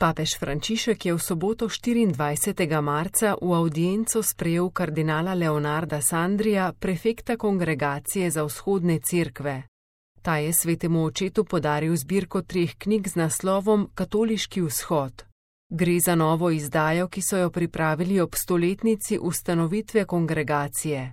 Papež Frančišek je v soboto 24. marca v avdienco sprejel kardinala Leonarda Sandrija, prefekta Kongregacije za vzhodne cerkve. Ta je svetemu očetu podaril zbirko 3 knjig z naslovom Katoliški vzhod. Gre za novo izdajo, ki so jo pripravili ob 100-letnici ustanovitve kongregacije.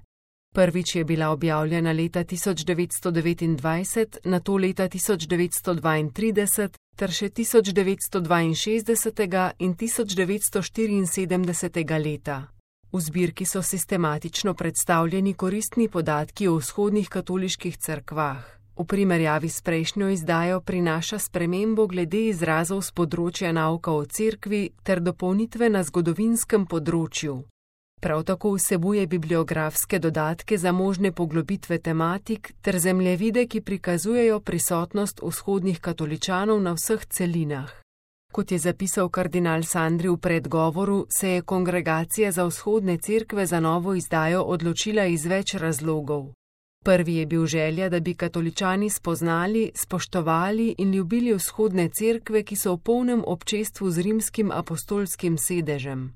Prvič je bila objavljena leta 1929, nato leta 1932 ter še 1962 in 1974 leta. V zbirki so sistematično predstavljeni koristni podatki o vzhodnih katoliških cerkvah. V primerjavi s prejšnjo izdajo prinaša spremembo glede izrazov s področja nauka o cerkvi ter dopolnitve na zgodovinskem področju. Prav tako vsebuje bibliografske dodatke za možne poglobitve tematik ter zemljevide, ki prikazujejo prisotnost vzhodnih katoličanov na vseh celinah. Kot je zapisal kardinal Sandri v predgovoru, se je Kongregacija za vzhodne cerkve za novo izdajo odločila iz več razlogov. Prvi je bil želja, da bi katoličani spoznali, spoštovali in ljubili vzhodne cerkve, ki so v polnem občestvu z rimskim apostolskim sedežem.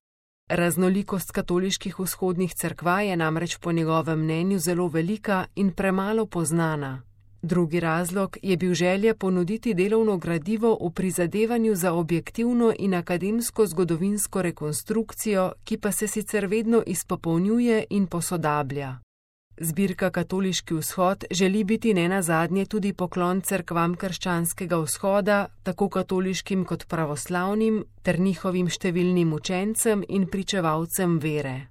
Raznolikost katoliških vzhodnih cerkva je namreč po njegovem mnenju zelo velika in premalo poznana. Drugi razlog je bil želja ponuditi delovno gradivo v prizadevanju za objektivno in akademsko zgodovinsko rekonstrukcijo, ki pa se sicer vedno izpopolnjuje in posodablja. Zbirka Katoliški vzhod želi biti nenazadnje tudi poklon cerkvam krščanskega vzhoda, tako katoliškim kot pravoslavnim, ter njihovim številnim učencem in pričevalcem vere.